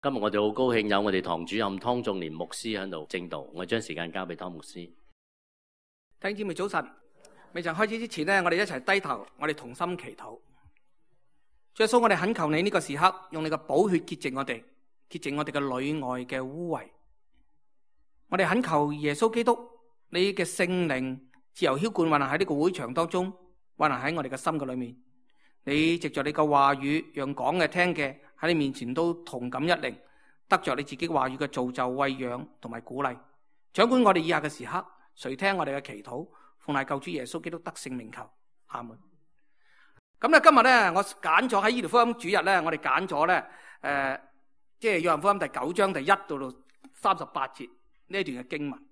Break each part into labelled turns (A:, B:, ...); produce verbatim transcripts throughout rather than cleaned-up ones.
A: 今日我哋好高興有我哋堂主任湯仲年牧師喺度證道，我將時間交俾湯牧師。
B: 弟兄姊妹早晨，未曾開始之前呢，我哋一齊低頭，我哋同心祈禱。主耶穌，我哋懇求你呢個時刻，用你嘅寶血潔淨我哋，潔淨我哋嘅裏外嘅污穢。我哋懇求耶穌基督，你嘅聖靈自由澆灌運行喺呢個會場當中，運行喺我哋嘅心嘅裏面。你藉着你嘅話語，讓講嘅聽嘅喺你面前都同感一靈，得着你自己話語嘅造就、餵養同埋鼓勵。掌管我哋以下嘅時刻，垂聽我哋嘅祈禱，奉賴救主耶穌基督得勝名求，阿門。咁咧今日咧，我揀咗喺醫療福音主日咧，我哋揀咗咧，誒、呃，即係約翰福音第九章第一到到三十八節呢一段嘅經文。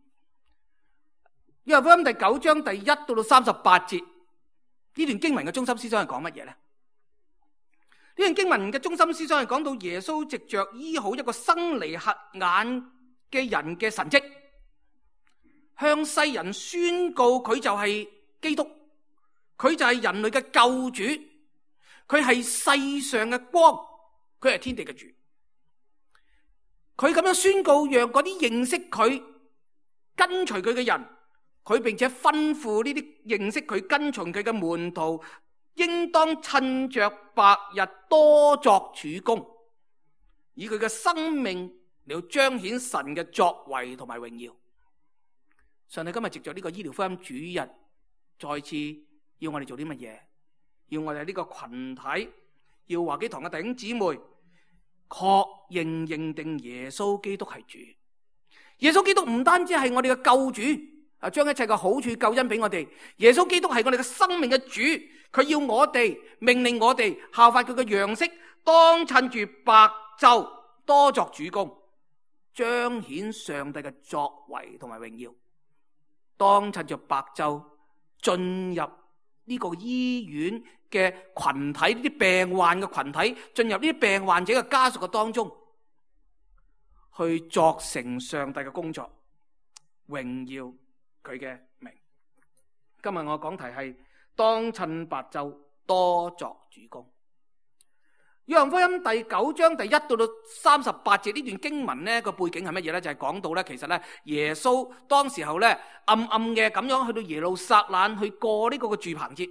B: 約翰福音第九章第一到到三十八節呢段經文嘅中心思想係講乜嘢咧？呢段經文嘅中心思想係講到耶穌藉着醫好一個生嚟瞎眼嘅人嘅神蹟，向世人宣告佢就係基督，佢就係人類嘅救主，佢係世上嘅光，佢係天地嘅主。佢咁樣宣告，讓嗰啲認識佢、跟隨佢嘅人，佢並且吩咐呢啲認識佢、跟隨佢嘅門徒，應當趁着白日多作主工，以佢嘅生命嚟到彰顯神嘅作為同埋榮耀。上帝今日藉着呢個醫療福音主日，再次要我哋做啲乜嘢？要我哋呢個群體，要華基堂嘅弟兄姊妹確認認定耶穌基督係主。耶穌基督唔單止係我哋嘅救主，啊，將一切嘅好處救恩俾我哋。耶穌基督係我哋嘅生命嘅主，佢要我哋命令我哋效法佢嘅樣式，當趁住白晝多作主工，彰顯上帝嘅作為同埋榮耀。當趁着白晝進入呢個醫院嘅群體，呢啲病患嘅群體，進入呢啲病患者嘅家屬嘅當中，去作成上帝嘅工作，榮耀佢嘅名。今日我講題係當趁白晝多作主工。約翰福音第九章第一到到三十八節呢段經文呢個背景係乜嘢呢？就係講到呢，其實呢耶穌當時候呢暗暗嘅咁樣去到耶路撒冷去過呢個嘅住棚節。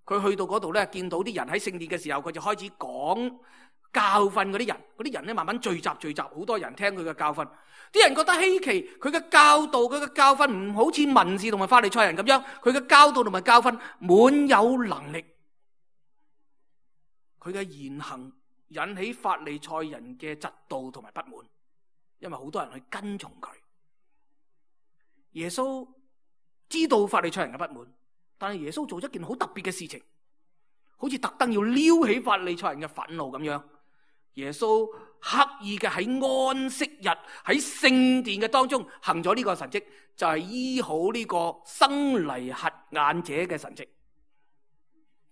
B: 佢去到嗰度呢，見到啲人喺聖殿嘅時候，佢就開始講教訓嗰啲人。嗰啲人呢慢慢聚集聚集，好多人聽佢嘅教訓。啲人覺得稀奇，佢嘅教導佢嘅教訓唔好似文士同埋法利賽人咁樣，佢嘅教導同埋教訓滿有能力。佢嘅言行引起法利賽人嘅嫉妒同埋不滿，因為好多人去跟從佢。耶穌知道法利賽人嘅不滿，但係耶穌做咗一件好特別嘅事情，好似特登要撩起法利賽人嘅憤怒咁樣。耶穌刻意嘅喺安息日喺聖殿嘅當中行咗呢個神蹟，就係醫好呢個生嚟瞎眼者嘅神蹟。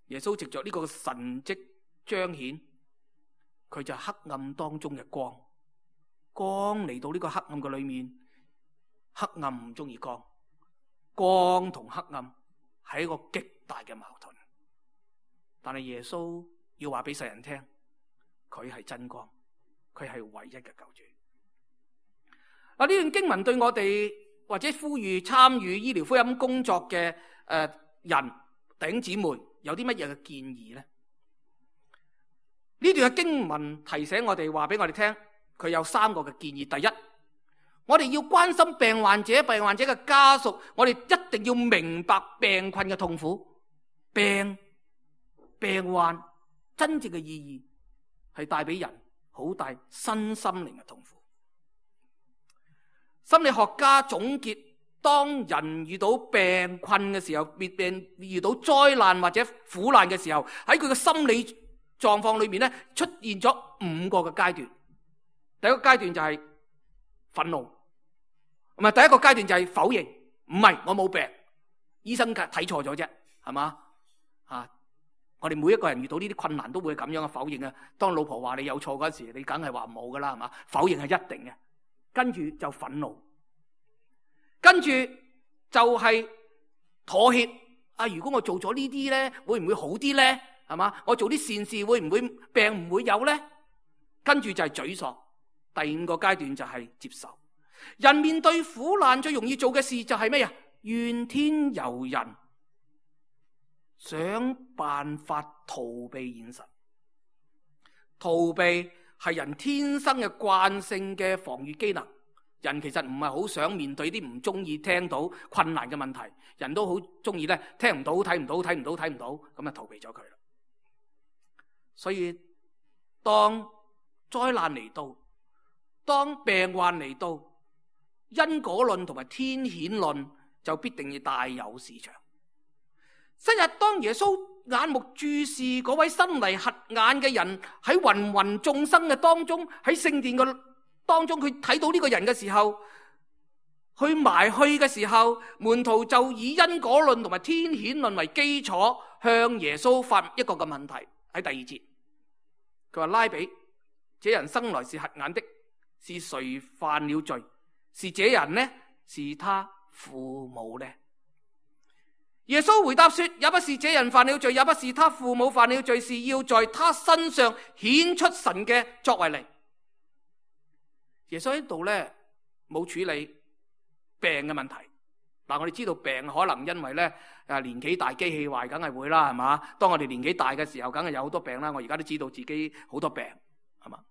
B: 耶穌藉着呢個神蹟彰顯佢就係黑暗當中嘅光，光嚟到呢個黑暗嘅裏面，黑暗唔中意光，光同黑暗係一個極大嘅矛盾。但係耶穌要話俾世人聽，佢係真光，佢係唯一嘅救主。啊，呢段經文對我哋或者呼籲參與醫療福音工作嘅誒人弟兄姊妹有啲乜嘢嘅建議呢？呢段嘅經文提醒我哋，話俾我哋聽，佢有三個嘅建議。第一，我哋要關心病患者、病患者嘅家屬，我哋一定要明白病困嘅痛苦。病病患真正嘅意義係帶俾人好大身心靈嘅痛苦。心理學家總結，當人遇到病困嘅時候，病遇到災難或者苦難嘅時候，喺佢嘅心理狀況裏面咧，出現咗五個嘅階段。第一個階段就係憤怒，唔係，第一個階段就係否認，唔係我冇病，醫生睇錯咗啫，係嘛？啊，我哋每一個人遇到呢啲困難都會咁樣嘅否認啊。當老婆話你有錯嗰時，你梗係話冇噶啦，係嘛？否認係一定嘅。跟住就憤怒，跟住就係妥協。啊，如果我做咗呢啲咧，會唔會好啲咧？係嘛？我做啲善事會唔會病唔會有咧？跟住就係沮喪，第五個階段就係接受。人面對苦難最容易做嘅事就係咩啊？怨天尤人，想辦法逃避現實。逃避係人天生嘅慣性嘅防禦機能。人其實唔係好想面對啲唔中意聽到困難嘅問題，人都好中意咧聽唔到、睇唔到、睇唔到、睇唔到，咁啊逃避咗佢啦。所以當災難嚟到，當病患嚟到，因果論同埋天譴論就必定要大有市場。昔日當耶穌眼目注視嗰位生嚟瞎眼嘅人喺芸芸眾生嘅當中，喺聖殿嘅當中，佢睇到呢個人嘅時候，去埋去嘅時候，門徒就以因果論同埋天譴論為基礎，向耶穌發一個嘅問題。喺第二節，佢話：拉比，這人生來是瞎眼的，是誰犯了罪？是這人呢？是他父母呢？耶穌回答說：也不是這人犯了罪，也不是他父母犯了罪，是要在他身上顯出神嘅作為嚟。耶穌喺度咧冇處理病嘅問題。嗱，我哋知道病可能因為咧誒年紀大，機器壞，梗係會啦，係嘛？當我哋年紀大嘅時候，梗係有好多病啦。我而家都知道自己好多病，係嘛？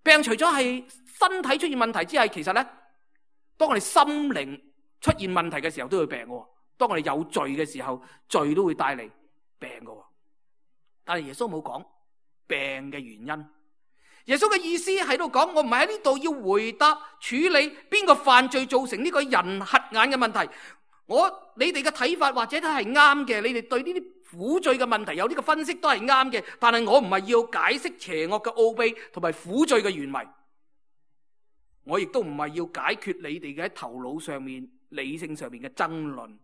B: 病除咗係身體出現問題之外，其實咧，當我哋心靈出現問題嘅時候，都會病嘅。當我哋有罪嘅時候，罪都會帶嚟病嘅。但係耶穌冇講病嘅原因。耶穌嘅意思喺度講，我唔係喺呢度要回答處理邊個犯罪造成呢個人瞎眼嘅問題。我你哋嘅睇法或者都係啱嘅，你哋對呢啲苦罪嘅問題有呢個分析都係啱嘅。但係我唔係要解釋邪惡嘅奧秘同埋苦罪嘅原委，我亦都唔係要解決你哋嘅喺頭腦上面、理性上面嘅爭論。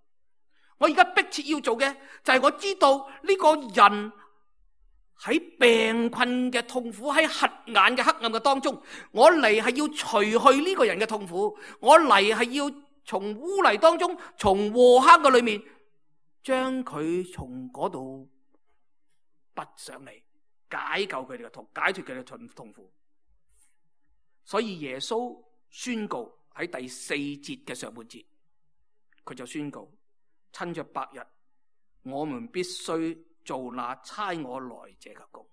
B: 我而家迫切要做嘅就係我知道呢個人喺病困嘅痛苦，喺瞎眼嘅黑暗嘅當中，我嚟係要除去呢個人嘅痛苦，我嚟係要從污泥當中，從禍坑嘅裏面，將佢從嗰度拔上嚟，解救佢哋嘅痛，解脫佢哋嘅痛苦。所以耶穌宣告喺第四節嘅上半節，佢就宣告：趁着白日，我們必須做那差我來者嘅工。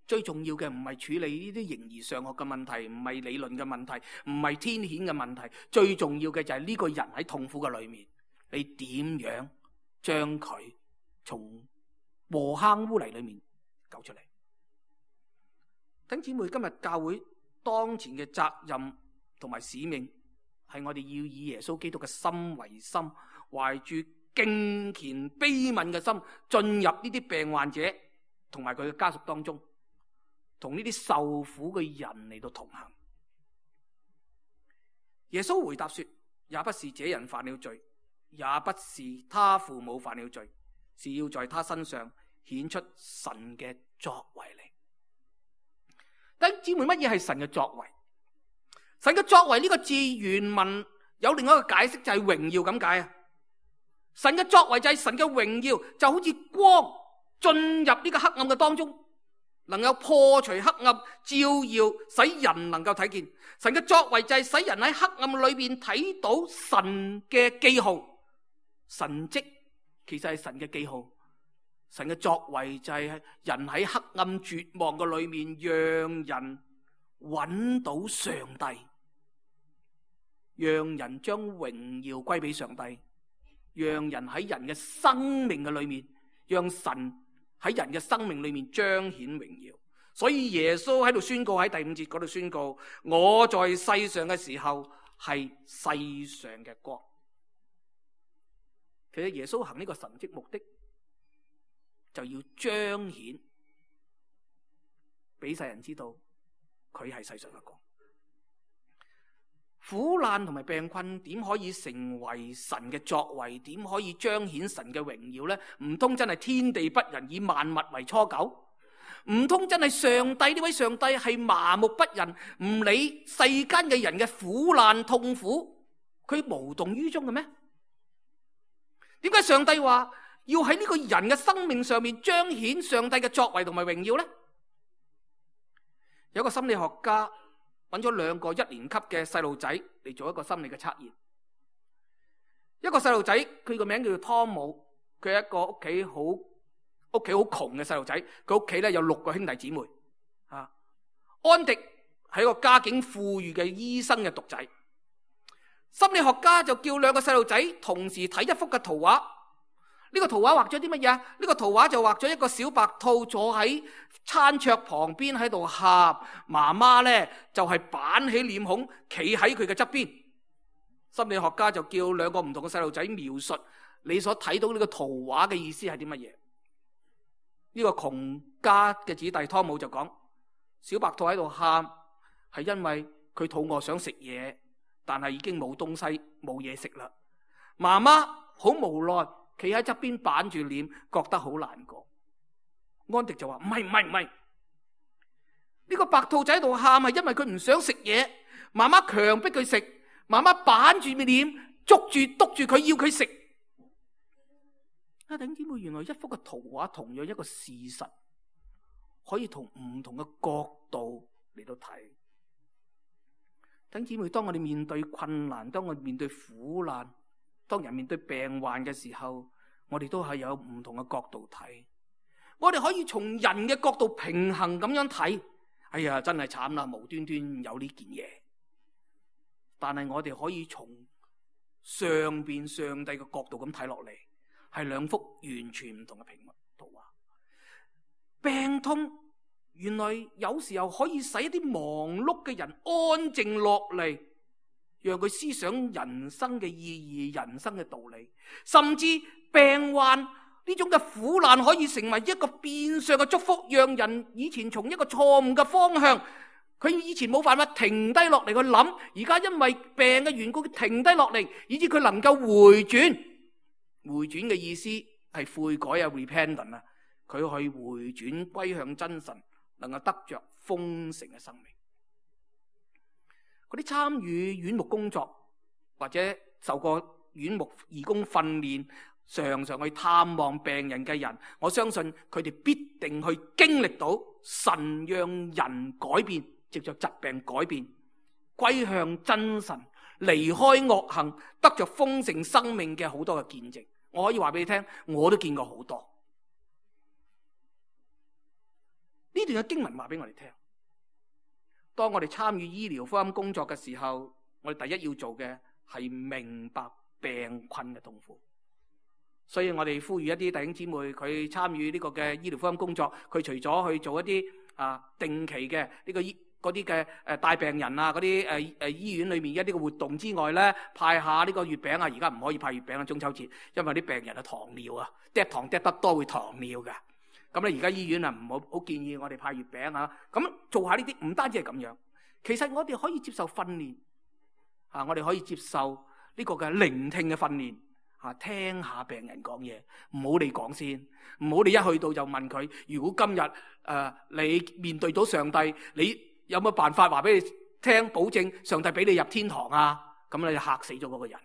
B: 最重要嘅唔係處理呢啲形而上學嘅問題，唔係理論嘅問題，唔係天譴嘅問題。最重要嘅就係呢個人喺痛苦嘅裏面，你點樣將佢從禍坑污泥裏面救出嚟？弟兄姊妹，今日教會當前嘅責任同埋使命，係我哋要以耶穌基督嘅心為心，懷住敬虔悲憫嘅心，進入呢啲病患者同埋佢嘅家屬當中，同呢啲受苦嘅人嚟到同行。耶穌回答說：也不是這人犯了罪，也不是他父母犯了罪，是要在他身上顯出神嘅作為嚟。弟兄姊妹，乜嘢係神嘅作為？神嘅作為呢個字原文有另外一個解釋，就係榮耀咁解啊！神嘅作為就係神嘅榮耀，就好似光進入呢個黑暗嘅當中，能夠破除黑暗，照耀使人能夠睇見。神嘅作為就係使人喺黑暗裏邊睇到神嘅記號，神蹟其實係神嘅記號。神嘅作為就係人喺黑暗絕望嘅裏面，讓人揾到上帝，讓人將榮耀歸俾上帝，讓人喺人嘅生命嘅裏面，讓神喺人嘅生命裏面彰顯榮耀。所以耶穌喺度宣告，喺第五節嗰度宣告：我在世上嘅時候係世上嘅光。其實耶穌行呢個神蹟目的，就要彰顯俾世人知道佢係世上嘅光。苦難同埋病困點可以成為神嘅作為？點可以彰顯神嘅榮耀呢？唔通真係天地不仁，以萬物為芻狗？唔通真係上帝呢位上帝係麻木不仁，唔理世間嘅人嘅苦難痛苦，佢無動於衷嘅咩？點解上帝話要喺呢個人嘅生命上面彰顯上帝嘅作為同埋榮耀呢？有個心理學家揾咗兩個一年級嘅細路仔嚟做一個心理嘅測驗。一個細路仔，佢個名叫做湯姆，佢係一個屋企好屋企好窮嘅細路仔，佢屋企咧有六個兄弟姊妹。啊，安迪係一個家境富裕嘅醫生嘅獨仔。心理學家就叫兩個細路仔同時睇一幅嘅圖畫。呢個圖畫畫咗啲乜嘢？呢個圖畫就畫咗一個小白兔坐喺餐桌旁邊喺度喊，媽媽咧就係板起臉孔企喺佢嘅側邊。心理學家就叫兩個唔同嘅細路仔描述你所睇到呢個圖畫嘅意思係啲乜嘢？呢個窮家嘅子弟湯姆就講：小白兔喺度喊係因為佢肚餓想食嘢，但係已經冇東西冇嘢食啦。媽媽好無奈，企喺側邊板住臉，覺得好難過。安迪就話：唔係唔係唔係，呢個白兔仔喺度喊係因為佢唔想食嘢，媽媽強迫佢食，媽媽板住臉，捉住督住佢要佢食。啊，弟兄姊妹，原來一幅嘅圖畫同樣一個事實，可以從唔同嘅角度嚟到睇。弟兄姊妹，當我哋面對困難，當我哋面對苦難，當人面對病患嘅時候，我哋都係有唔同嘅角度睇。我哋可以從人嘅角度平衡咁樣睇。哎呀，真係慘啦，無端端有呢件嘢。但係我哋可以從上邊上帝嘅角度咁睇落嚟，係兩幅完全唔同嘅平面圖畫。病痛原來有時候可以使一啲忙碌嘅人安靜落嚟，讓佢思想人生嘅意義、人生嘅道理。甚至病患呢種嘅苦難可以成為一個變相嘅祝福，讓人以前從一個錯誤嘅方向，佢以前冇辦法停低落嚟去諗，而家因為病嘅緣故，佢停低落嚟，以致佢能夠回轉。回轉嘅意思係悔改啊 ，repentance 啊，佢去回轉歸向真神，能夠得着豐盛嘅生命。嗰啲參與院牧工作或者受過院牧義工訓練，常常去探望病人嘅人，我相信佢哋必定去經歷到神讓人改變，藉着疾病改變，歸向真神，離開惡行，得着豐盛生命嘅好多嘅見證。我可以話俾你聽，我都見過好多。呢段嘅經文話俾我哋聽，當我哋參與醫療福音工作嘅時候，我哋第一要做嘅係明白病困嘅痛苦。所以我哋呼籲一啲弟兄姊妹，佢參與呢個嘅醫療福音工作，佢除咗去做一啲啊定期嘅呢個醫嗰啲嘅誒帶病人啊，嗰啲誒誒醫院裏面一啲嘅活動之外咧，派下呢個月餅啊，而家唔可以派月餅啊，中秋節，因為啲病人啊糖尿啊，嗒糖嗒得多會糖尿㗎。咁咧而家醫院啊唔好好建議我哋派月餅啊。咁做下呢啲唔單止係咁樣，其實我哋可以接受訓練啊，我哋可以接受呢個嘅聆聽嘅訓練啊，聽下病人講嘢，唔好你講先，唔好你一去到就問佢，如果今日誒、呃、你面對到上帝，你有冇辦法話俾你聽，保證上帝俾你入天堂啊？咁你就嚇死咗嗰個人。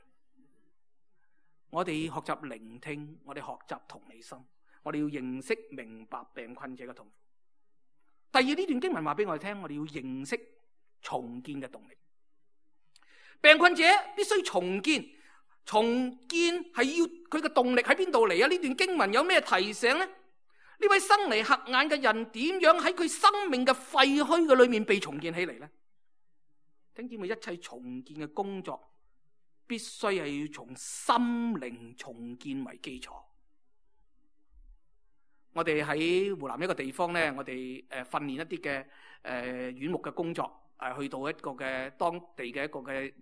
B: 我哋學習聆聽，我哋學習同理心，我哋要認識明白病困者嘅痛苦。第二，呢段經文話俾我哋聽，我哋要認識重建嘅動力。病困者必須重建，重建係要佢嘅動力喺邊度嚟啊？呢段經文有咩提醒呢？呢位生嚟瞎眼嘅人點樣喺佢生命嘅廢墟嘅裏面被重建起嚟呢？弟兄姊妹，一切重建嘅工作必須係要從心靈重建為基礎。我哋喺湖南一個地方咧，我哋誒訓練一啲嘅誒院牧嘅工作，誒去到一個嘅當地嘅一個嘅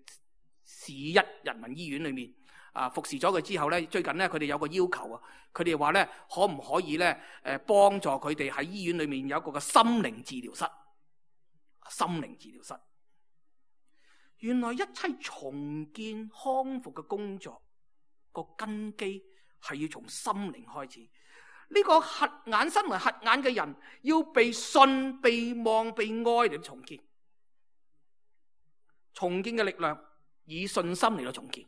B: 市一人民醫院裏面。啊！服侍咗佢之後咧，最近咧佢哋有個要求啊，佢哋話咧可唔可以咧誒幫助佢哋喺醫院裏面有一個嘅心靈治療室？心靈治療室，原來一切重建康復嘅工作個根基係要從心靈開始。呢、這個瞎眼身為瞎眼嘅人，要被信、被望、被愛嚟重建。重建嘅力量以信心嚟到重建。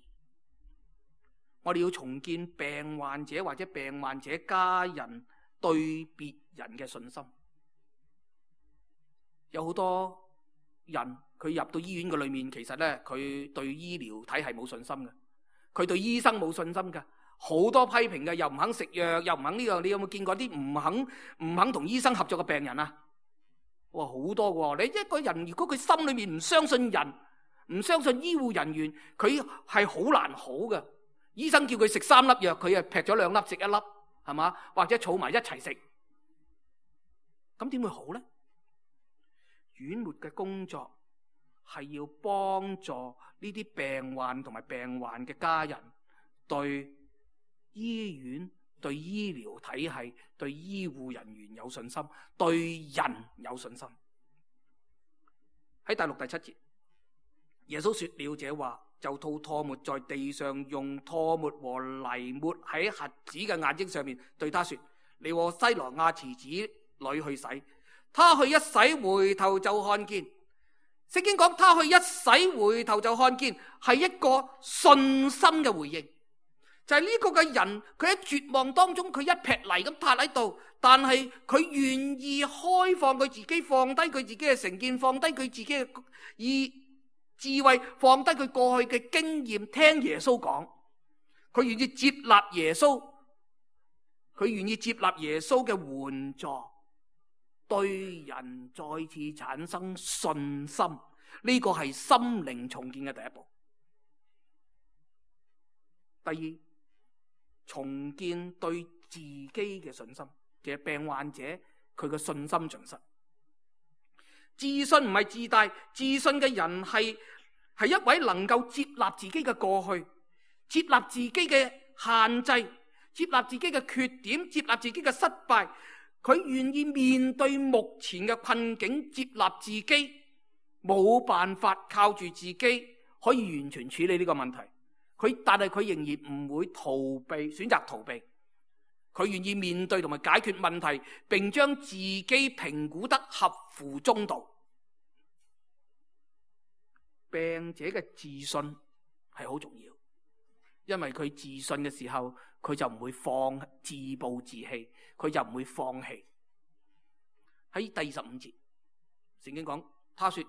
B: 我哋要重建病患者或者病患者家人對別人嘅信心。有好多人佢入到醫院嘅裏面，其實咧佢對醫療體系冇信心嘅，佢對醫生冇信心嘅，好多批評嘅，又唔肯食藥，又唔肯呢樣。你有冇見過啲唔肯唔肯同醫生合作嘅病人啊？哇，好多喎！你一個人如果佢心裏面唔相信人，唔相信醫護人員，佢係好難好嘅。醫生叫佢食三粒藥，佢啊劈咗兩粒食一粒，係嘛？或者儲埋一齊食，咁點會好呢？院末嘅工作係要幫助呢啲病患同埋病患嘅家人對醫院、對醫療體系、對醫護人員有信心，對人有信心。喺第六、第七節，耶穌說了這話，就吐唾沫在地上，用唾沫和泥抹喺瞎子嘅眼睛上面，對他說：你和西羅亞池子裏去洗。他去一洗，回頭就看見。聖經講他去一洗，回頭就看見，係一個信心嘅回應。就係呢個嘅人，佢喺絕望當中，佢一劈泥咁塌喺度，但係佢願意開放佢自己，放低佢自己嘅成見，放低佢自己嘅以智慧，放低佢過去嘅經驗，聽耶穌講，佢願意接納耶穌，佢願意接納耶穌嘅援助，對人再次產生信心。呢個係心靈重建嘅第一步。第二，重建對自己嘅信心，即係病患者佢嘅信心盡失。自信唔係自大，自信嘅人係係一位能夠接納自己嘅過去，接納自己嘅限制，接納自己嘅缺點，接納自己嘅失敗。佢願意面對目前嘅困境，接納自己冇辦法靠住自己可以完全處理呢個問題。佢但係佢仍然唔會逃避，選擇逃避。佢願意面對同埋解決問題，並將自己評估得合乎中道。病者嘅自信係好重要，因為佢自信嘅時候，佢就唔會放自暴自棄，佢就唔會放棄。喺第二十五節，聖經講，他說：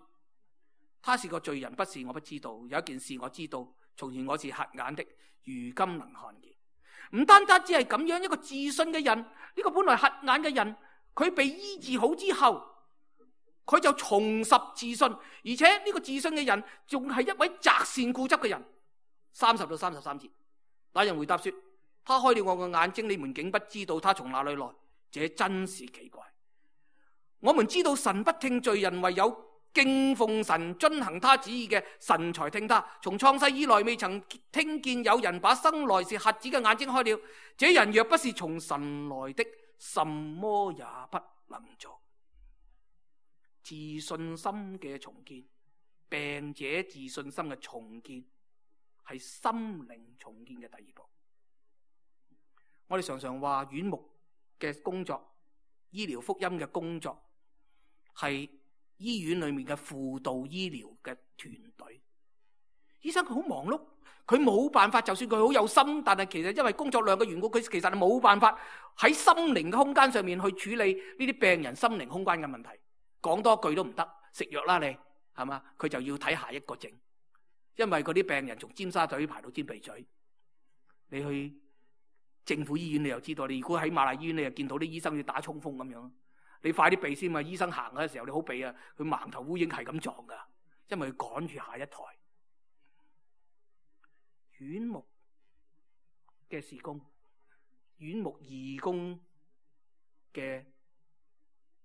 B: 他是個罪人，不是我不知道。有一件事我知道，從前我是瞎眼的，如今能看見。唔單單只係咁樣，一個自信嘅人，呢、這個本來瞎眼嘅人，佢被醫治好之後，佢就重拾自信，而且呢個自信嘅人仲係一位擇善固執嘅人。三十到三十三節，那人回答說：他開了我嘅眼睛，你們竟不知道他從哪裏來，這真是奇怪。我們知道神不聽罪人，唯有敬奉神、遵行他旨意嘅神才聽他。從創世以來，未曾聽見有人把生來是瞎子嘅眼睛開了。這人若不是從神來的，什麼也不能做。自信心嘅重建，病者自信心嘅重建，係心靈重建嘅第二步。我哋常常話院牧嘅工作、醫療福音嘅工作，係醫院裏面嘅輔導醫療嘅團隊。醫生佢好忙碌，佢冇辦法，就算佢好有心，但係其實因為工作量嘅緣故，佢其實係冇辦法喺心靈嘅空間上面去處理呢啲病人心靈空間嘅問題。講多句都唔得，食藥啦你，係嘛？佢就要睇下一個症，因為嗰啲病人從尖沙咀排到尖鼻咀。你去政府醫院你又知道，你如果喺瑪麗醫院你又見到啲醫生要打衝鋒咁樣，你快啲避先嘛！醫生行嘅時候你好避啊，佢盲頭烏蠅係咁撞噶，因為佢趕住下一台。院牧嘅事工，院牧義工嘅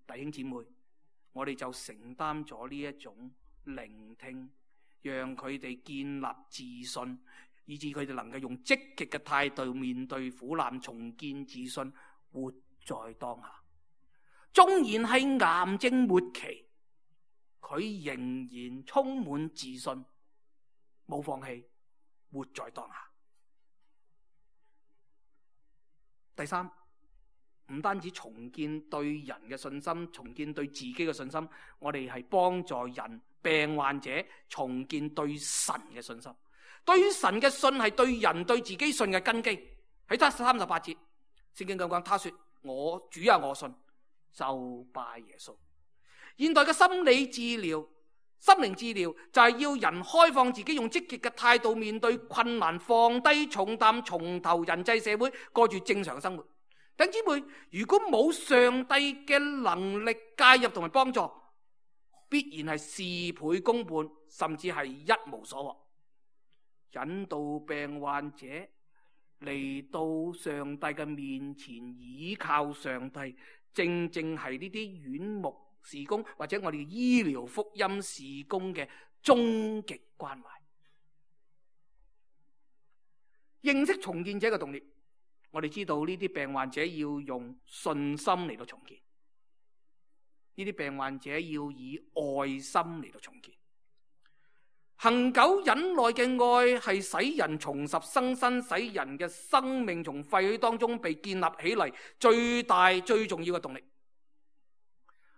B: 弟兄姊妹，我哋就承擔咗呢一種聆聽，讓佢哋建立自信，以致佢哋能夠用積極嘅態度面對苦難，重建自信，活在當下。縱然係癌症末期，佢仍然充滿自信，冇放棄，活在當下。第三，唔單止重建對人嘅信心，重建對自己嘅信心，我哋係幫助人病患者重建對神嘅信心。對於神嘅信係對人對自己信嘅根基。喺第三十八節，聖經咁講，他說：我主啊，我信，就拜耶穌。現代嘅心理治療心靈治療就係要人開放自己，用積極嘅態度面對困難，放低重擔，從頭人際社會過住正常生活。弟兄姊妹，如果冇上帝嘅能力介入同埋幫助，必然係事倍功半，甚至係一無所獲。引導病患者嚟到上帝嘅面前，倚靠上帝，正正係呢啲院牧事工或者我哋醫療福音事工嘅終極關懷。認識重建者嘅動力，我哋知道呢啲病患者要用信心嚟到重建，呢啲病患者要以愛心嚟到重建。恒久忍耐嘅愛係使人重拾生身，使人嘅生命從廢墟當中被建立起嚟，最大最重要嘅動力。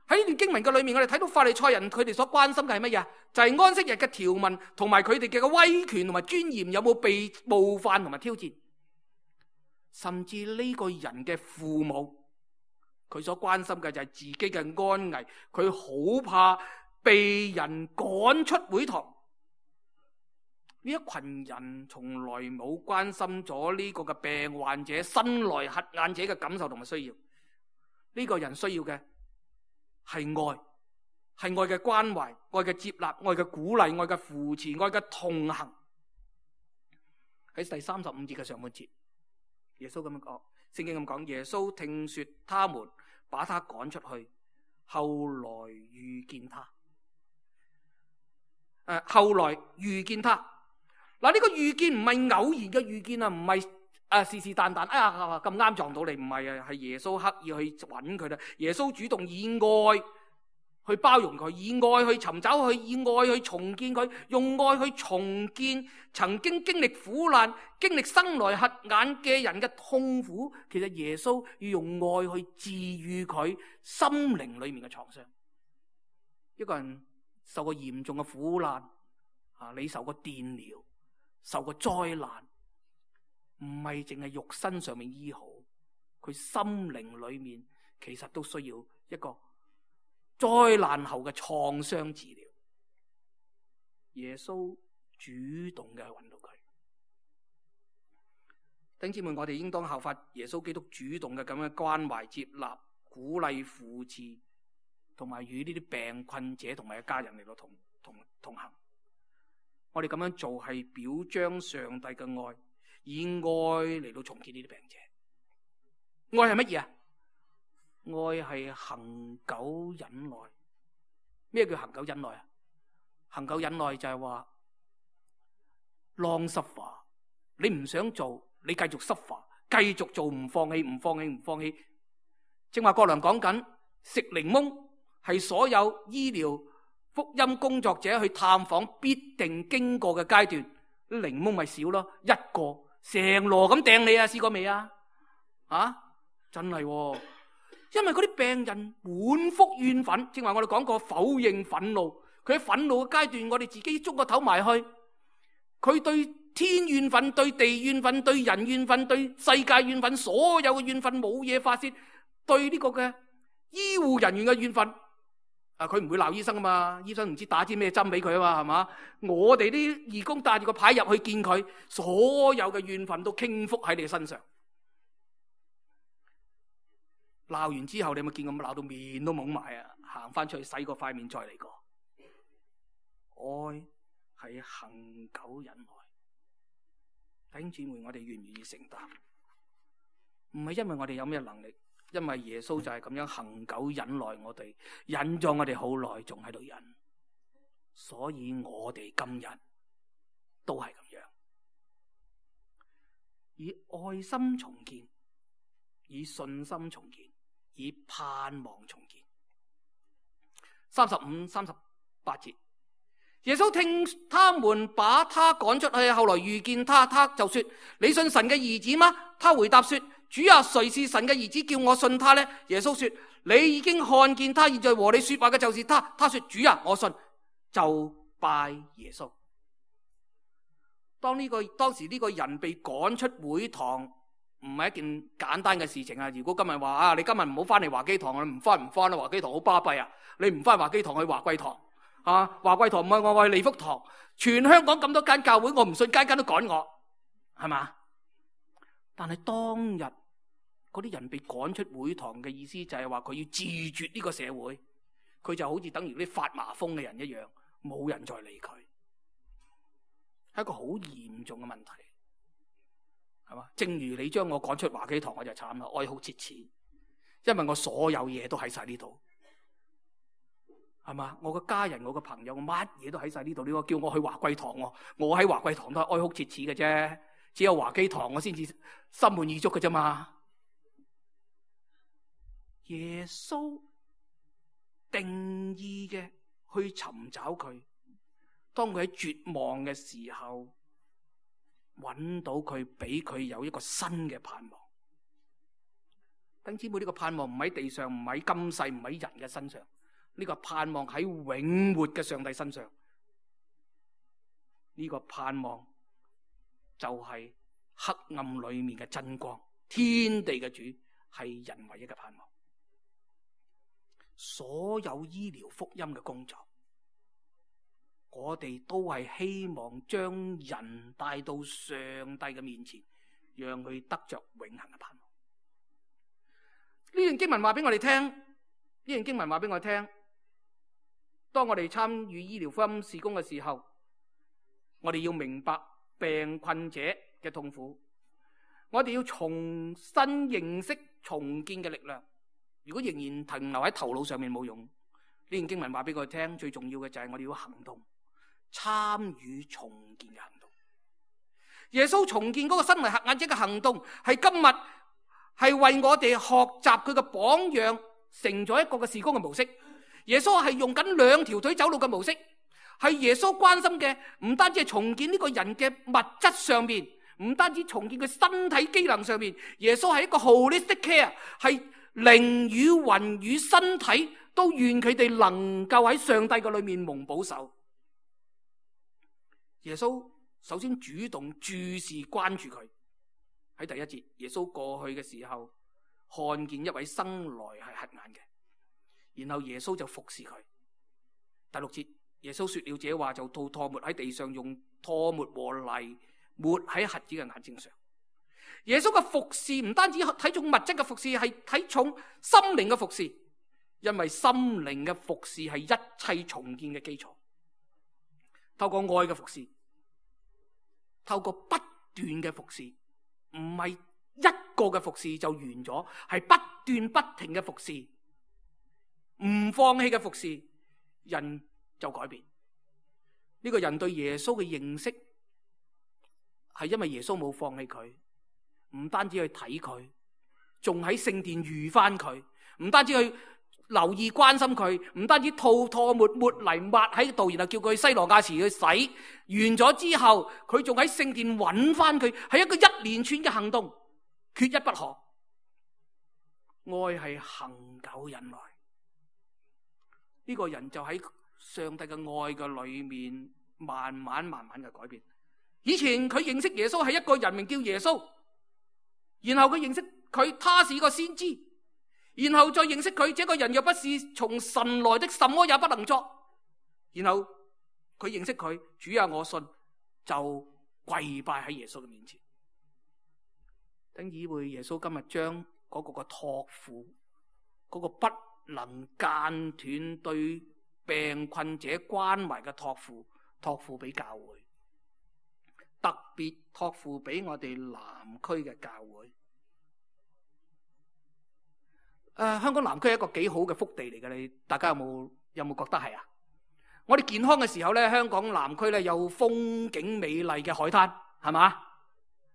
B: 喺呢段經文嘅裏面，我哋睇到法利賽人佢哋所關心嘅係乜嘢？就係安息日嘅條文同埋佢哋嘅威權同埋尊嚴有冇被冒犯同埋挑戰。甚至呢個人嘅父母，佢所關心嘅就係自己嘅安危，佢好怕被人趕出會堂。呢一群人從來冇關心咗呢個嘅病患者、生來瞎眼者嘅感受同埋需要。呢個人需要嘅係愛，係愛嘅關懷、愛嘅接納、愛嘅鼓勵、愛嘅扶持、愛嘅同行。喺第三十五節嘅上半節，耶穌咁樣講，聖經咁講，耶穌聽說他們把他趕出去，後來遇見他。誒、呃，後來遇見他。嗱，呢個遇見唔係偶然嘅遇見啊，唔係誒是是但但，哎呀咁啱撞到你，唔係啊，係耶穌刻意去揾佢啦。耶穌主動以愛去包容佢，以愛去尋找佢，以愛去重建佢，用愛去重建曾經經歷苦難、經歷生來瞎眼嘅人嘅痛苦。其實耶穌要用愛去治癒佢心靈裏面嘅創傷。一個人受過嚴重嘅苦難啊，你受過電療，受過災難，唔係淨係肉身上面醫好，佢心靈裏面其實都需要一個災難後嘅創傷治療。耶穌主動嘅去揾到佢。弟兄姊妹，我哋應當效法耶穌基督主動嘅咁樣關懷、接納、鼓勵、扶持，同埋與呢啲病困者同埋一家人嚟到同同同行。我哋咁樣做係表彰上帝嘅愛，以愛嚟到重建呢啲病者。愛係乜嘢啊？愛係恒久忍耐。咩叫恒久忍耐啊？恒久忍耐就係話 long suffer， 你唔想做，你繼續 suffer， 繼續做，唔放棄，唔放棄，唔放棄。正話郭良講緊食檸檬係所有醫療福音工作者去探訪必定經過嘅階段，檸檬咪少咯，一個成籮咁掟你啊！試過未啊？啊，真係、哦，因為嗰啲病人滿腹怨憤，正話我哋講過否認憤怒，佢喺憤怒嘅階段，我哋自己捉個頭埋去，佢對天怨憤、對地怨憤、對人怨憤、對世界怨憤，所有嘅怨憤冇嘢發洩，對呢個嘅醫護人員嘅怨憤。啊！佢唔會鬧醫生啊嘛，醫生唔知打支咩針俾佢啊嘛，係嘛？我哋啲義工帶住個牌入去見佢，所有嘅怨憤都傾覆喺你身上。鬧完之後，你有冇見咁鬧到面都懵埋啊？行翻出去洗個塊面再嚟過。愛係恒久忍耐。弟兄姊妹，我哋願唔願意承擔？唔係因為我哋有咩能力。因為耶穌就係咁樣恒久忍耐我哋，忍咗我哋好耐，仲喺度忍，所以我哋今日都係咁樣，以愛心重建，以信心重建，以盼望重建。三十五、三十八節，耶穌聽他們把他趕出去，後來遇見他，他就說：你信神嘅兒子嗎？他回答說：主啊，誰是神嘅兒子，叫我信他呢？耶穌說：你已經看見他，現在和你說話嘅就是他。他說：主啊，我信，就拜耶穌。當呢、這個當時呢個人被趕出會堂，唔係一件簡單嘅事情啊！如果今日話啊，你今日唔好翻嚟華基堂，你唔翻唔翻啦，華基堂好巴閉啊！你唔翻華基堂去華貴堂啊，華貴堂唔係我，我係利福堂。全香港咁多間教會，我唔信間間都趕我，係嘛？但係當日嗰啲人被趕出會堂嘅意思就係話佢要自絕呢個社會，佢就好似等於啲發麻風嘅人一樣，冇人再理佢，係一個好嚴重嘅問題，係嘛？正如你將我趕出華基堂，我就慘啦，哀哭切齒，因為我所有嘢都喺晒呢度。係嘛？我個家人、我個朋友，我乜嘢都喺晒呢度。你話叫我去華貴堂，我我喺華貴堂都係哀哭切齒嘅啫。只有華基堂我先至心滿意足嘅啫嘛。耶穌定義嘅去尋找佢，當佢喺絕望嘅時候，揾到佢，俾佢有一個新嘅盼望。弟兄姊妹，呢個盼望唔喺地上，唔喺今世，唔喺人嘅身上。呢個盼望喺永活嘅上帝身上，呢個盼望就係黑暗裏面嘅真光，天地嘅主係人唯一嘅盼望。所有醫療福音嘅工作，我哋都係希望將人帶到上帝嘅面前，讓佢得着永恆嘅盼望。呢段經文話俾我哋聽，呢段經文話俾我哋聽。當我哋參與醫療福音事工嘅時候，我哋要明白病困者嘅痛苦，我哋要重新認識重建嘅力量。如果仍然停留喺頭腦上面冇用，呢段經文話俾我哋聽，最重要嘅就係我哋要行動，參與重建嘅行動。耶穌重建嗰個身為瞎眼者嘅行動，係今日係為我哋學習佢嘅榜樣，成咗一個嘅事工嘅模式。耶穌係用緊兩條腿走路嘅模式，係耶穌關心嘅唔單止係重建呢個人嘅物質上面，唔單止重建佢身體機能上面，耶穌係一個 holistic care， 係靈與魂與身體都願佢哋能夠喺上帝嘅裏面蒙保守。耶穌首先主動注視關注佢。喺第一節，耶穌過去嘅時候看見一位生來係瞎眼嘅，然後耶穌就服侍佢。第六節，耶穌說了這話，就吐唾沫喺地上，用唾沫和泥抹喺瞎子嘅眼睛上。耶穌嘅服侍唔單止睇重物質嘅服侍，係睇重心靈嘅服侍，因為心靈嘅服侍係一切重建嘅基礎。透過愛嘅服侍，透過不斷嘅服侍，唔係一個嘅服侍就完咗，係不斷不停嘅服侍，唔放棄嘅服侍，人就改變。呢個人對耶穌嘅認識係因為耶穌冇放棄佢，唔單止去睇佢，仲喺聖殿遇翻佢，唔單止去留意關心佢，唔單止吐唾沫抹泥抹喺度，然後叫佢西羅亞池去洗完咗之後，佢仲喺聖殿揾翻佢，係一個一連串嘅行動，缺一不可。愛係恒久忍耐，呢個人就喺上帝嘅愛嘅裏面慢慢慢慢嘅改變。以前佢認識耶穌係一個人名叫耶穌，然後佢認識佢，他是個先知，然後再認識佢，這個人又不是從神來的，什麼也不能作。然後佢認識佢，主啊，我信，就跪拜喺耶穌嘅面前。等以為耶穌今日將嗰個嘅託付，嗰、那個不能間斷對病困者關懷嘅託付，託付俾教會，特別託付俾我哋南區嘅教會。誒、呃，香港南區係一個幾好嘅福地嚟嘅，你大家有冇有冇覺得係啊？我哋健康嘅時候咧，香港南區咧有風景美麗嘅海灘，係嘛？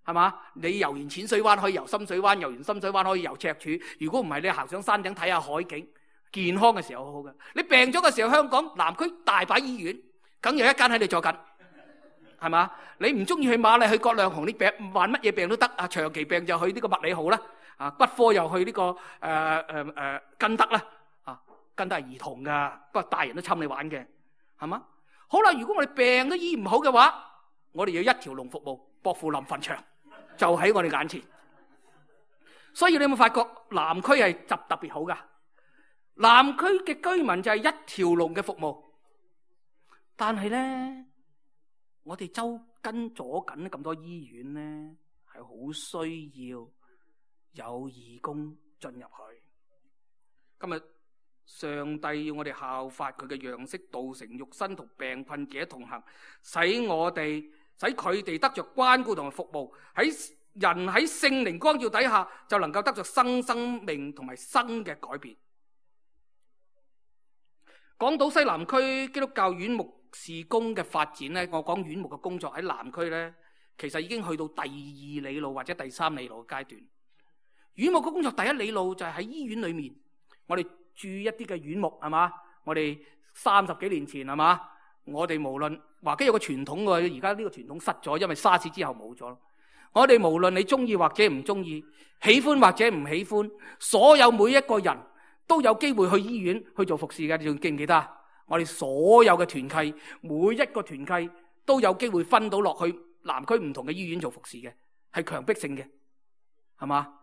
B: 係嘛？你游完淺水灣可以游深水灣，游完深水灣可以游赤柱。如果唔係，你行上山頂睇下海景。健康嘅時候好好嘅。你病咗嘅時候，香港南區大把醫院，梗有一間喺你坐緊，係嘛？你唔中意去瑪麗去葛量洪，你病患乜嘢病都得啊！長期病就去呢個麥理浩啦。啊，骨科又去呢、這個誒誒誒根德啦，啊根德係兒童噶，不過大人都侵你玩嘅，係嘛？好啦，如果我哋病都醫唔好嘅話，我哋要一條龍服務，薄扶林墳場就喺我哋眼前。所以你有冇發覺南區係特特別好噶？南區嘅居民就係一條龍嘅服務，但係咧，我哋周跟咗緊咁多醫院咧，係好需要有義工進入去。今日上帝要我哋效法佢嘅樣式，道成肉身同病困者同行，使我哋使佢哋得着關顧同埋服務，喺人喺聖靈光照底下，就能夠得着新生命同埋新嘅改變。講到西南區基督教院牧事工嘅發展咧，我講院牧嘅工作喺南區咧，其實已經去到第二里路或者第三里路嘅階段。院牧嘅工作第一里路就係喺醫院裏面，我哋駐一啲嘅院牧係嘛，我哋三十幾年前係嘛，我哋無論話梗有個傳統嘅，而家呢個傳統失咗，因為沙士之後冇咗。我哋無論你中意或者唔中意，喜歡或者唔喜歡，所有每一個人都有機會去醫院去做服侍嘅，你仲記唔記得啊？我哋所有嘅團契，每一個團契都有機會分到落去南區唔同嘅醫院做服侍嘅，係強迫性嘅，係嘛？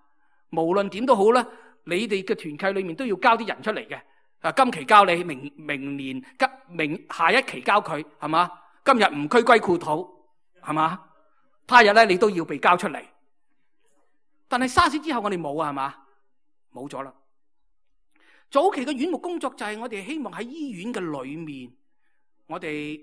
B: 無論點都好啦，你哋嘅團契裏面都要交啲人出嚟嘅。啊，今期交你，明明年急明下一期交佢，係嘛？今日唔區歸故土，係嘛？他日咧你都要被交出嚟。但係沙士之後我哋冇啊，係嘛？冇咗啦。早期嘅院牧工作就係我哋希望喺醫院嘅裏面，我哋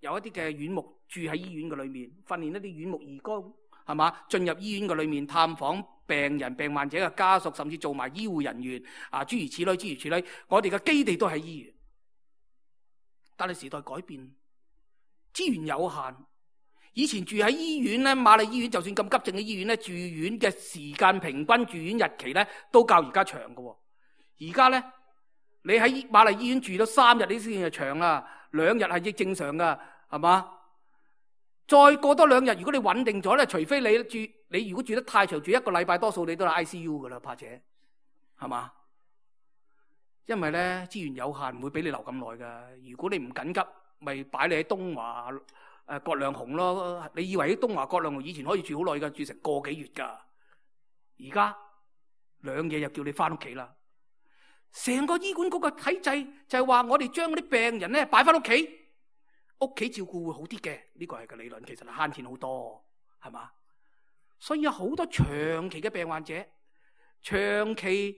B: 有一啲嘅院牧住喺醫院嘅裏面，訓練一啲院牧義工，係嘛？進入醫院嘅裏面探訪病人、病患者嘅家屬，甚至做埋醫護人員啊，諸如此類，諸如此類。我哋嘅基地都喺醫院，但係時代改變，資源有限。以前住喺醫院咧，瑪麗醫院就算咁急症嘅醫院咧，住院嘅時間平均住院日期咧都較而家長嘅。而家咧，你喺瑪麗醫院住到三日，你先係長啦，兩日係亦正常噶，係嘛？再過多兩日，如果你穩定咗咧，除非你住，你如果住得太長，住一個禮拜，多數你都係 I C U 噶啦，怕且，係嘛？因為咧資源有限，唔會俾你留咁耐噶。如果你唔緊急，咪擺你喺東華誒葛量洪咯。你以為喺東華葛量洪以前可以住好耐噶，住成個幾月噶，而家兩夜就叫你翻屋企啦。成個醫管局嘅體制就係話，我哋將嗰啲病人咧擺翻屋企，屋企照顧會好啲嘅。呢個係個理論，其實係慳錢好多，係嘛？所以有好多長期嘅病患者、長期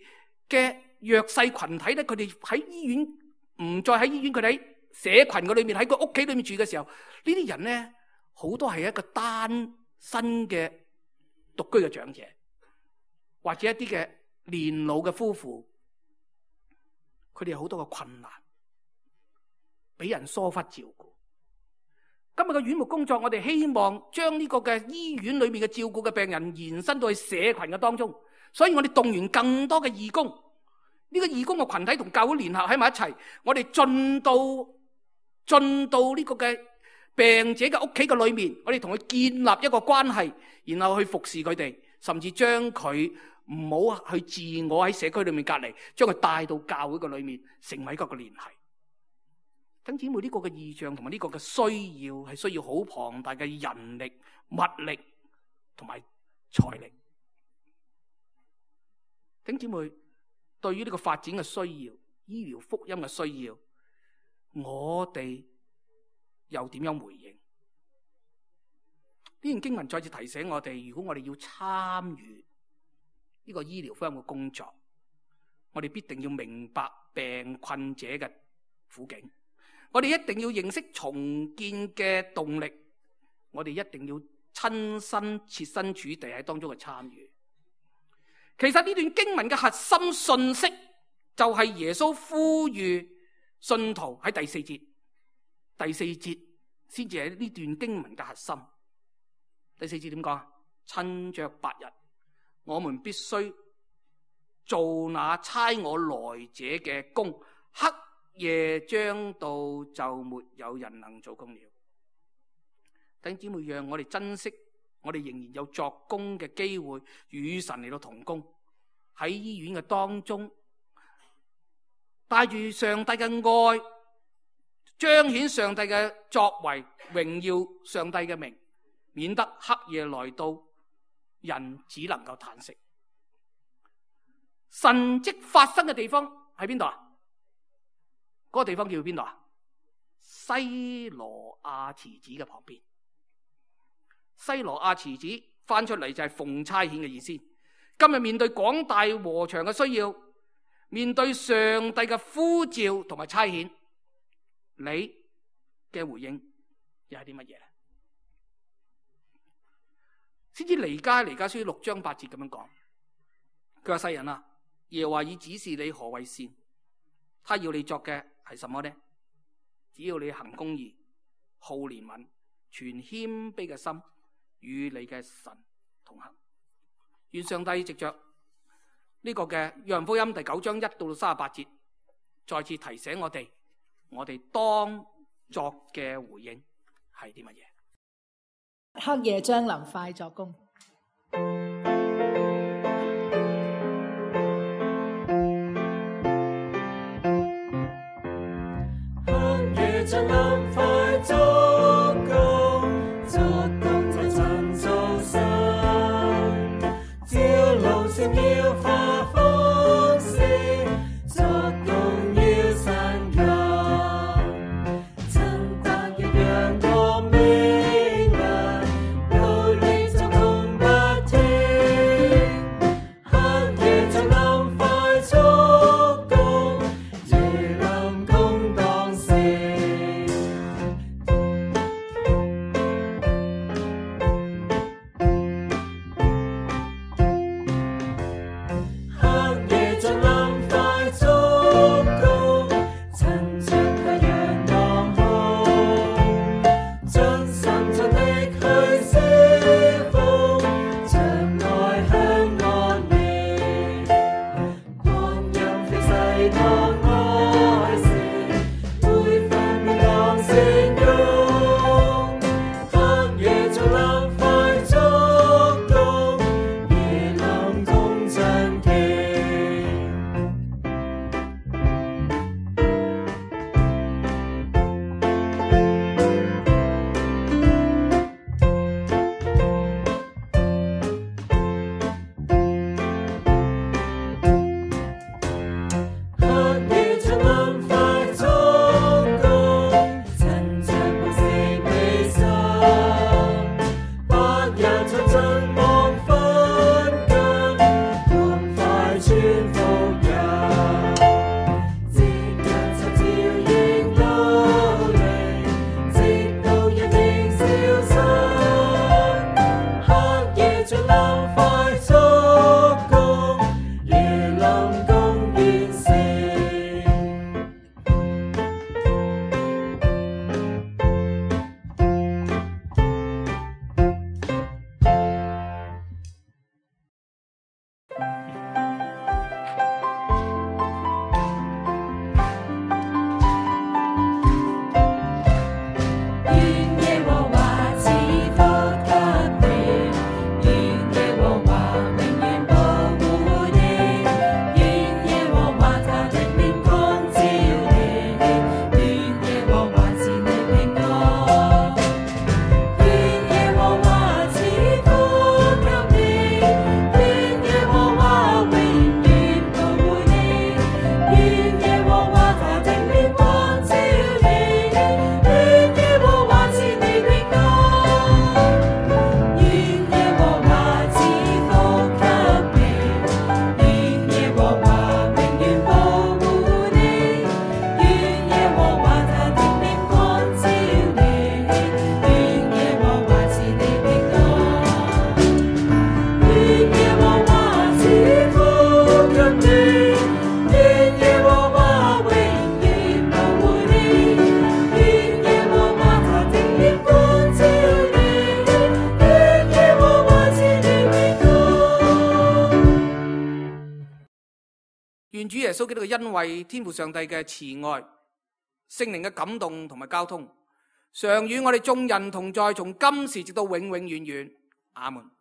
B: 嘅弱勢群體咧，佢哋喺醫院唔再喺醫院，佢哋喺社群嘅裏面，喺個屋企裏面住嘅時候，呢啲人咧好多係一個單身嘅獨居嘅長者，或者一啲嘅年老嘅夫婦。佢哋有好多嘅困難，俾人疏忽照顧。今日嘅院牧工作，我哋希望將呢個嘅醫院裏面嘅照顧嘅病人延伸到去社群嘅當中，所以我哋動員更多嘅義工。呢個義工嘅群體同教會聯合喺埋一齊，我哋進到進到呢個嘅病者嘅屋企嘅裏面，我哋同佢建立一個關係，然後去服侍佢哋，甚至將佢唔好去自我喺社區裏面隔離，將佢帶到教會嘅裏面，成為一個嘅聯繫。弟兄姊妹，呢個嘅異象同埋呢個嘅需要係需要好龐大嘅人力、物力同埋財力。弟兄姊妹，對於呢個發展嘅需要、醫療福音嘅需要，我哋又點樣回應？呢段經文再次提醒我哋，如果我哋要參與呢個醫療福音嘅工作，我哋必定要明白病困者嘅苦境，我哋一定要認識重建嘅動力，我哋一定要親身設身處地喺當中嘅參與。其實呢段經文嘅核心信息就係耶穌呼籲信徒喺第四節，第四節先至係呢段經文嘅核心。第四節點講啊？趁着白日，我們必須做那差我來者嘅工，黑夜將到，就沒有人能做工了。弟兄姊妹，讓我哋珍惜我哋仍然有作工嘅機會，與神嚟到同工，喺醫院嘅當中，帶住上帝嘅愛，彰顯上帝嘅作為，榮耀上帝嘅名，免得黑夜來到，人只能夠嘆息。神蹟發生嘅地方喺邊度啊？嗰個地方叫邊度啊？西羅亞池子嘅旁邊。西羅亞池子翻出嚟就係奉差遣嘅意思。今日面對廣大禾場嘅需要，面對上帝嘅呼召同埋差遣，你嘅回應又係啲乜嘢咧？先知彌迦彌迦書六章八節咁樣講，佢話：世人啊，耶和華已指示你何為善，他要你作嘅係什麼呢？只要你行公義、好憐憫、存謙卑嘅心，與你嘅神同行。願上帝藉着呢個嘅約翰福音第九章一到三十八節，再次提醒我哋，我哋當作嘅回應係啲乜嘢？
C: 黑夜將臨，快作工。
D: 黑夜將臨，快作工，作工在趁早晨，朝露閃耀發豐盛，作工要散近，趁白日陽光明亮，努力作工不停。黑夜將臨，快作工，夜臨工當成。黑夜將臨，快作工，趁着太陽當空，盡心盡力去釋放，將愛向我你，光陰飛逝當愛情，每分秒當成用。黑夜將臨，快作工，夜臨工將傾。黑夜將臨，快作工，趁着暮色未深，白日將盡黃昏近，趕快傳福音，即日就照應努力，直到日明消失。黑夜將臨，快作工，夜臨工完成。願耶和華賜福給你，願耶和華永遠保護你，願耶和華他的臉光照你，願耶和華賜你平安，願耶和華賜福給你，願耶和華永遠保護你，願耶和華他的臉光照你，願耶和華賜你平安，願耶和華賜福給你，願耶和華永遠保護你，願耶和華他的臉光照你，願耶和華賜你平安，願耶和華賜福給你，願耶和華永遠保護你，願耶和華他的臉光照你，願耶和華賜你平安。
B: 願主耶穌基督嘅恩惠、天父上帝嘅慈愛、聖靈嘅感動同埋交通，常與我哋眾人同在，從今時直到永永遠遠。阿門。